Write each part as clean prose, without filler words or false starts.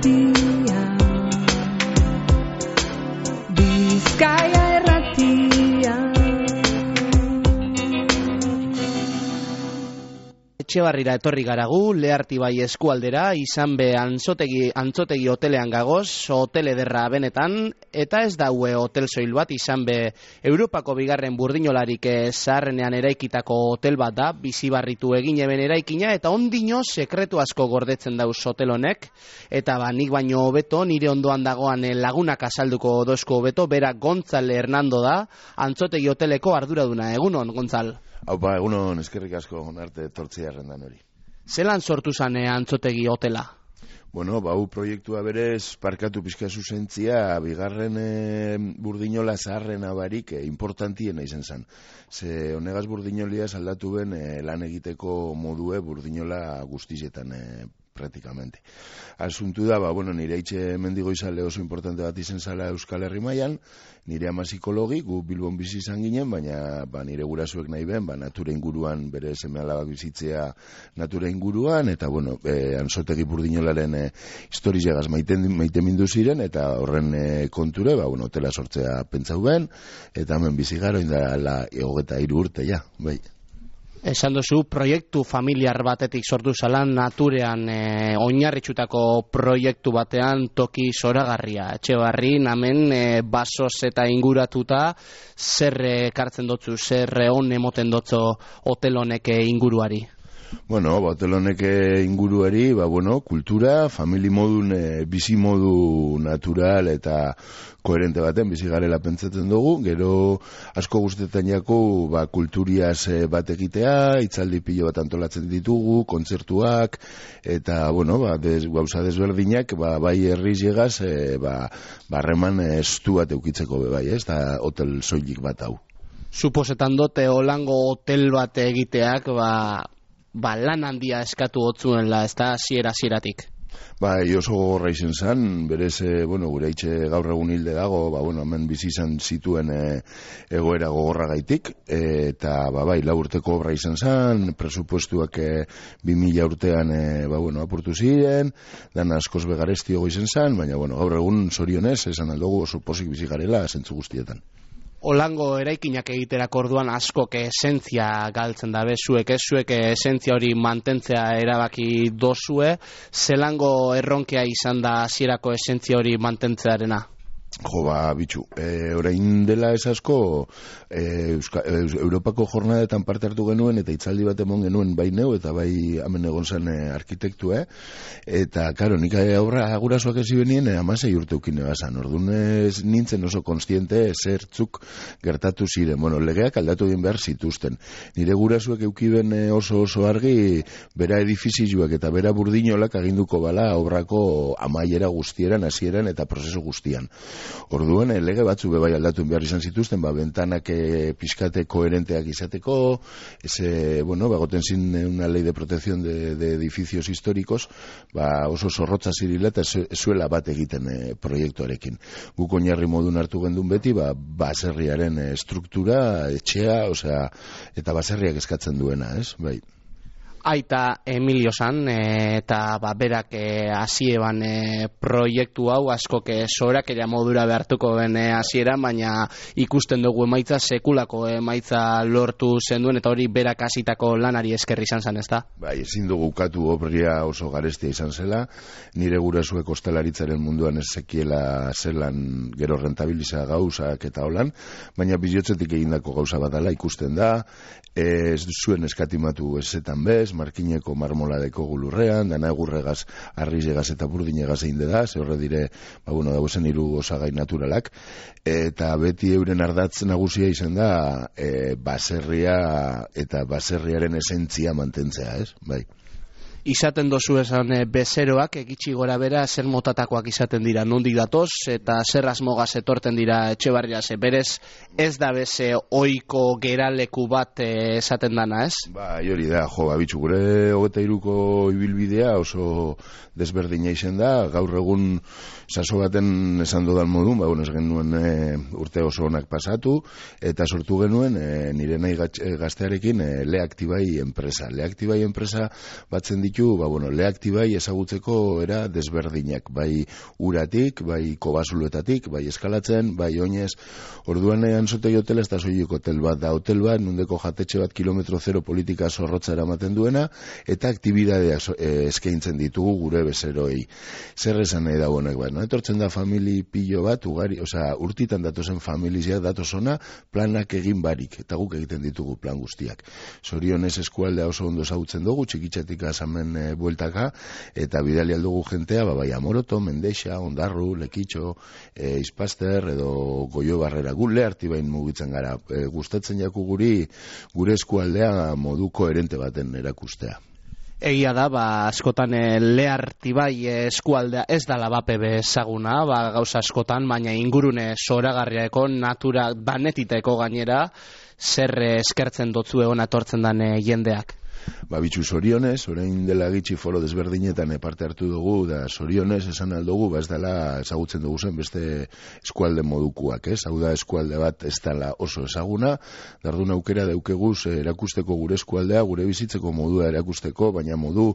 irratia, Bizkaia irratia. Etxebarrira etorri garagu, Leartibai eskualdera, izan be antzotegi hotelean gagoz, hotel ederra benetan, eta ez daue hotel soil bat, izan be Europako bigarren burdinolarik zaharrenean eraikitako hotel bat da, bizibarritu egin eben eraikina, eta ondino sekretu asko gordetzen dauz hotel honek, eta nik baino hobeto, nire ondoan dagoan lagunak azalduko dozko hobeto, bera Gontzal Hernando da, antzotegi hoteleko arduraduna. Egunon, Gontzal? Haupa, egunon, eskerrik asko arte tortzia errendan hori. Zelan sortu zane antzotegi hotela? Bueno, hau proiektua berez, parkatu pixka zuzentzia, bigarren burdinola zaharrena barik importantiena izen zen. Ze honegaz burdinolia saldatu ben lan egiteko modue burdinola guztietan praktikamente. Asuntu da, nire itxe mendigo izale oso importante bat izen zala Euskal Herri mailan, nire ama psikologi, gu Bilbon bizi izan ginen, baina nire gurasuek nahi ben, natura inguruan, bere seme alaba bizitzea natura inguruan, eta antzotegi burdinolaren historizagaz maite mindu ziren, eta horren konture, hotela sortzea pentsau ben, eta hemen bizi gara, indala 23 urte, ja, bai. Esan duzu, proiektu familiar batetik sortu zalan, naturean oinarritxutako proiektu batean toki zoragarria. Etxebarri, namen, basoz eta inguratuta, zer kartzen dotzu, zer on emoten dotzu hotel honek inguruari? Hotel honek inguruari, kultura, famili modun, bizi modu natural eta koherente baten bizi garela pentsatzen dugu, gero asko guztetan jako kulturiaz bat egitea, hitzaldi pilo bat antolatzen ditugu, kontzertuak, eta gauza desberdinak, bai herriz llegaz, barreman estu bat eukitzeko bai, ez da hotel soilik bat hau. Suposetan dote holango hotel bat egiteak, lan handia eskatu gotzuenla, ez da zieratik. Oso gogorra izen zan, berez, gure itxe gaur egun hilde dago, hemen bizi izan zituen egoera gogorra gaitik, eta, lau urteko obra izan zan, presupuestuak 2000 urtean, apurtu ziren, dan askoz begareztiogo izen zan, baina, gaur egun zorionez, esan aldugu oso posik bizi garela, zentzu guztietan. Holango eraikinak egiterak orduan askok esentzia galtzen dabe, zuek esentzia hori mantentzea erabaki dozue, zelango erronkea izan da hasierako esentzia hori mantentzearena? Bitxu, orain dela ez asko Europako jornadetan parte hartu genuen eta hitzaldi bat emon genuen bai neu eta bai hemen egon zen arkitektua, eta karo, nik aurra gurasoak ezi benien 16 urte ukine bazan, orduan nintzen oso konstiente zertzuk gertatu ziren, legeak aldatu egin behar zituzten, nire gurasuak eukiben oso argi bera edifizioak eta bera burdinolak aginduko bala obrako amaiera guztieran, hasieran eta prozesu guztian. Orduan, lege batzu bebai aldatu behar izan zituzten, bentanak pixkate koherenteak izateko, bagoten zin una ley de protección de edificios históricos, oso zorrotza zirila eta zuela bat egiten proiektuarekin. Guk oinarri modun hartu gendun beti, baserriaren struktura, etxea, eta baserriak eskatzen duena, ez? Bai. Aita Emilio zan, eta berak hasieban proiektu hau askok sorakera modura behartuko ben hasieran, baina ikusten dugu emaitza sekulako emaitza lortu zenduen, eta hori berak hasitako lanari eskerri izan zen, ezta? Ezin dugu ukatu obria oso garestia izan zela, nire gurasuek ostalaritzaren munduan ez zekiela zelan gero rentabiliza gauzak eta holan, baina bizotzetik egindako gauza badala ikusten da, ez zuen eskatimatu ezetan bez, markineko marmoladeko gulurrean, dana egurregaz, arrizegaz eta burdinegaz egin da, ze horre dire, dagozen hiru osagai naturalak, eta beti euren ardatz nagusia izan da, baserria eta baserriaren esentzia mantentzea, ez? Bai. Izaten dozu esan bezeroak, egitsi gora bera, zer motatakoak izaten dira, nondik datoz, eta zer asmogaz etorten dira Etxebarrira, berez ez da beze oiko geraleku bat esaten dana, ez? Hori da, bitxu, gure 23ko ibilbidea oso desberdina izen da, gaur egun saso baten esan dodan modun, ez genuen urte oso onak pasatu, eta sortu genuen nire nahi gaztearekin Leaktibai enpresa. Leaktibai enpresa batzen ditu, leaktibai ezagutzeko era desberdinak, bai uratik, bai kobasuloetatik, bai eskalatzen, bai oinez. Orduan Anzotegi hotela ez da soilik hotel bat, da hotel bat, nundeko jatetxe bat kilometro zero politika zorrotza eramaten duena, eta aktibidadeak eskaintzen ditugu gure bezeroi. Zer esan nahi da honek bat, etortzen da famili pilo bat, ugari, urtitan datozen familiziak datozona, planak egin barik, eta guk egiten ditugu plan guztiak. Zorionez eskualdea oso ondo ezagutzen dugu, txikitzatik azamen bueltaka, eta bidali aldugu jentea, bai Amoroto, Mendexa, Ondarru, Lekitxo, Izpaster, edo Goio Barrera, gu Leartibain mugitzen gara. Gustatzen jaku gure eskualdea modu koherente baten erakustea. Egia da, askotan Leartibai eskualdea ez da labape bezaguna, gauza askotan, baina ingurune zoragarriako, natura danetiteko gainera, zer eskertzen dotzu egon atortzen den jendeak. Bitxu zorionez, orain dela gitxi foro desberdinetan parte hartu dugu, da zorionez esan aldugu, ez dela ezagutzen dugu zen beste eskualde modukuak, ez? Hau da eskualde bat ez dela oso ezaguna, dardun aukera daukeguz erakusteko gure eskualdea, gure bizitzeko modua erakusteko, baina modu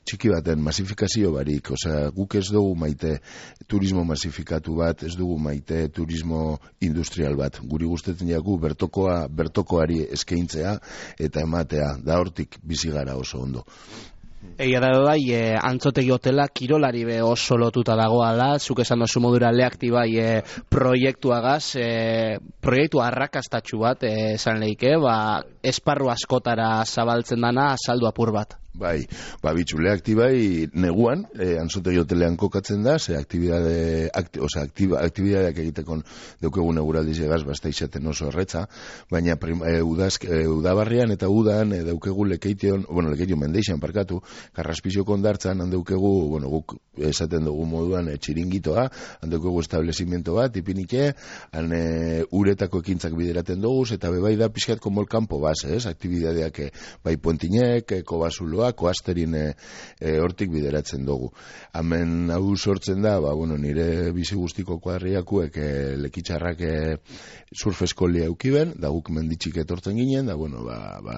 txiki baten masifikazio barik, guk ez dugu maite turismo masifikatu bat, ez dugu maite turismo industrial bat, guri gustatzen jaku bertokoari eskaintzea eta ematea, da hortik bizi gara oso ondo. Egia da bai, Antzotegi hotela kirolari oso lotuta dagoala, zuk esan dozu modura Leaktibai proiektuagaz, proiektu arrakastatxu bat, esan lehike, esparru askotara zabaltzen dana, saldu apur bat. Bai, bitxu, Leaktibai neguan, Antzotegi hotelean kokatzen da, ze aktibidadeak egiteko daukegun eguraldiz egaz, basta izaten oso erretza, baina udabarrian eta udan daukegu Lekeition Mendeixan parkatu, Karraspizio kondartzan, handeukegu, guk esaten dugu moduan txiringitoa, handeukegu establezimiento bat, ipinike, uretako ekintzak bideraten dugu, eta bebai da pixkatko molkampo baz, aktibidadeak bai Puentinek, Kobasuloa, Koasterin hortik bideratzen dugu. Hemen hau sortzen da, nire bizi guztiko kuadriakuek Lekitxarrak surf eskolia eukiben, da guk menditxik etortzen ginen, da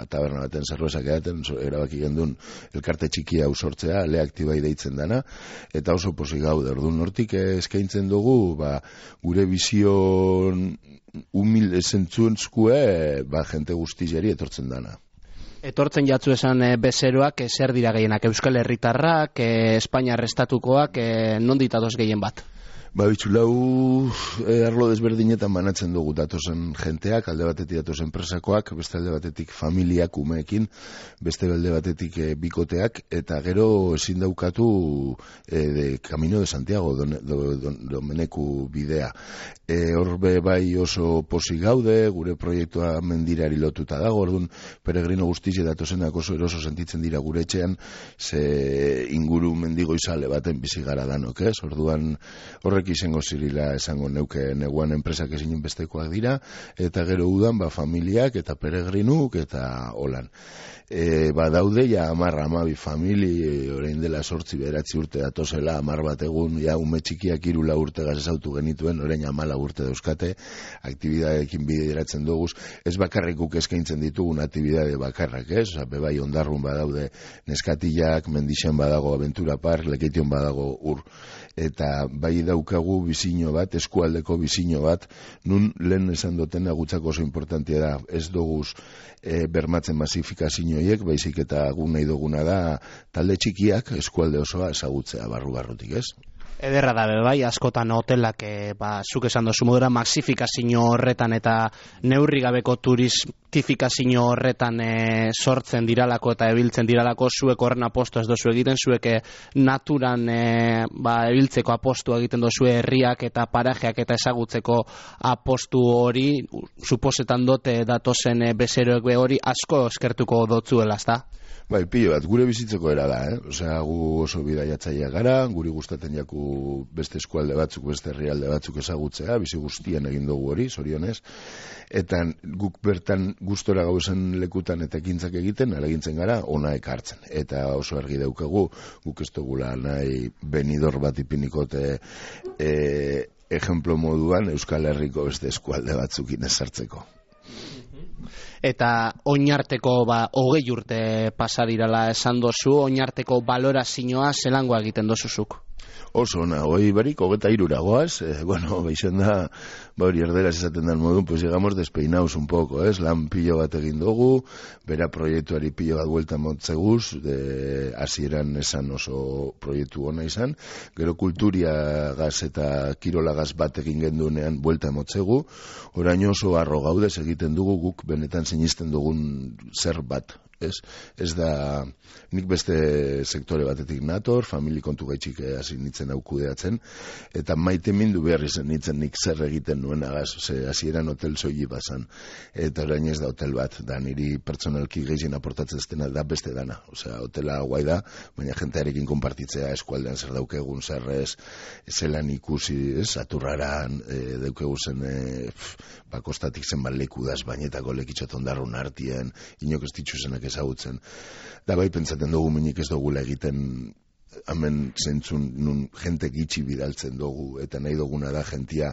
taberna baten zerbezak edaten, erabaki gendun elkarte txiki hau sortzea, Leaktibai deitzen dana, eta oso posik gaude, orduan hortik eskaintzen dugu, gure bizion humilde zentzuntzkue, jente guztizeri etortzen dana. Etortzen jatzu esan bezeroak, zer dira gehienak, Euskal Herritarrak, Espainiar estatukoak, nonditatoz gehien bat? Bitxu, lau arlo desberdinetan banatzen dugu datozen jenteak, alde batetik datozen enpresakoak, beste alde batetik familiak umeekin, beste alde batetik bikoteak, eta gero ezin daukatu Camino de Santiago Domeneku bidea. Horbe bai oso posi gaude, gure proiektua mendirari lotuta dago, orduan peregrino guztize datozenak oso eroso sentitzen dira gure etxean, ze inguru mendigo izale baten bizi gara danok, ez? Orduan horrek izango zirila esango neuke neguan enpresak ezin bestekoak dira, eta gero udan familiak eta peregrinuk eta holan. Daude ja 10-12 famili, orain dela 8-9 urte datozela, 10 bat egun, ja ume txikiak 3-4 urte gazesautu genituen, orain 14 urte dauzkate, aktibidadeekin bideratzen duguz, ez bakarrikuk eskaintzen ditugun aktibidade bakarrak, ez? Bebai Ondarrun badaude neskatillak, Mendixen badago Aventura Park, Lekeition badago ur, eta bai daukagu bizino bat, eskualdeko bizino bat, nun lehen esan dutena gutzako oso importantia da, ez duguz bermatzen masifikazioiek, baizik eta gu nahi duguna da talde txikiak eskualde osoa ezagutzea barrutik, ez? Ederra da, bai, askotan hotelak, zuk esan dozu modura, maxifikazio horretan eta neurri gabeko turistifikazio horretan sortzen diralako eta ebiltzen diralako, zuek horren apostu ez dozu egiten, zuek naturan ebiltzeko apostu egiten dozu herriak eta parajeak eta ezagutzeko apostu hori, suposetan dote datozen bezeroek hori asko eskertuko dotzuela, ezta? Bai, pilo bat, gure bizitzeko era da, gu oso bidaiatzaia gara, guri gustatzen jaku beste eskualde batzuk, beste herrialde batzuk ezagutzea, bizi guztien egin dugu hori, zorionez, eta guk bertan gustora gauzen lekutan eta ekintzak egiten, alegintzen gara, ona ekartzen, eta oso argi daukagu, guk ez dugula nahi benidor bat ipinikote ejemplo moduan Euskal Herriko beste eskualde batzukin ezartzeko. eta oinarteko 20 urte pasa dirala esan dozu, oinarteko balorazioa zelangoa egiten dozuzuk? Oso ona, hoi barik, 23 goaz, bueno, beixen da, hori erderaz esaten den modun, pues llegamos despeinaus un poco, lan pilo bat egin dugu, bera proiektuari pilo bat buelta motzeguz, hasieran esan oso proiektu ona izan, gero kulturiagaz eta kirolagaz bat egin gendunean buelta motzegu, orain oso arro gaudez egiten dugu guk benetan sinisten dugun zer bat. Ez da, nik beste sektore batetik nator, famili kontu gaitxik hasi nintzen hau kudeatzen, eta maite mindu behar izan nintzen nik zer egiten nuen agaz, hasieran hotel soili bazan, eta orain ez da hotel bat, da niri pertsonalki gehien aportatzen zena da beste dana, osea, hotela guai da, baina jentearekin konpartitzea eskualdean zer daukegun, zer ez, zelan ikusi, aturraran, daukegun zen, kostatik zenbat lekudaz, bainetako lekitxot ondarrun artien, inok ez ditzuzenak ezagutzen. Da bai pentsaten dugu minik ez dugula egiten hemen zentzun nun jente gitxi bidaltzen dugu eta nahi duguna da jentia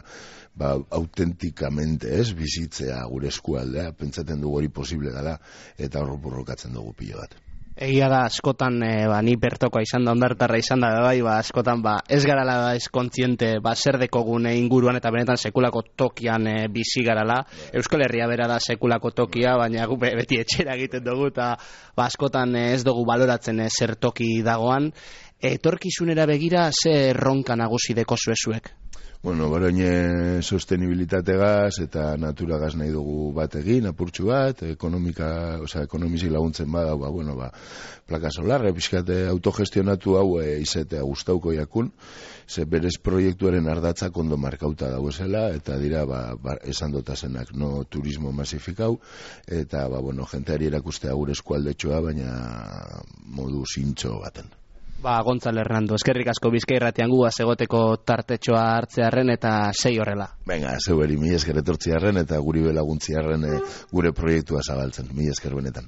autentikamente bizitzea gure eskualdea, pentsaten dugu hori posible dela eta horrokatzen dugu pilo bat. Egia da, askotan, ni bertokoa izan da, ondartarra izan da, askotan, ez garala ez kontziente, zer dekogune inguruan eta benetan sekulako tokian bizi garala. Euskal Herria bera da sekulako tokia, baina gu beti etxera egiten dugu, eta askotan ez dugu baloratzen zer toki dagoan. Etorkizunera begira, ze erronka nagusi deko zuezuek? Bueno, baraine sostenibilitategaz eta naturagaz nahi dugu bat egin, apurtxu bat, ekonomizi laguntzen bada, plaka solarra, pixkate autogestionatu hau izatea gustauko jakun, ze berez proiektuaren ardatzak ondo markauta dagoezela, eta dira, esan dotazenak, no turismo masifikau, eta, jenteari erakustea gure eskualdetxoa, baina modu zintxo baten. Gontzalo Hernando, eskerrik asko Bizkai Irratian gu egoteko tartetxoa hartzearren eta sei horrela. Venga, zeu eri, mi esker etortziarren eta guri belaguntziarren gure proiektua zabaltzen, mi esker benetan.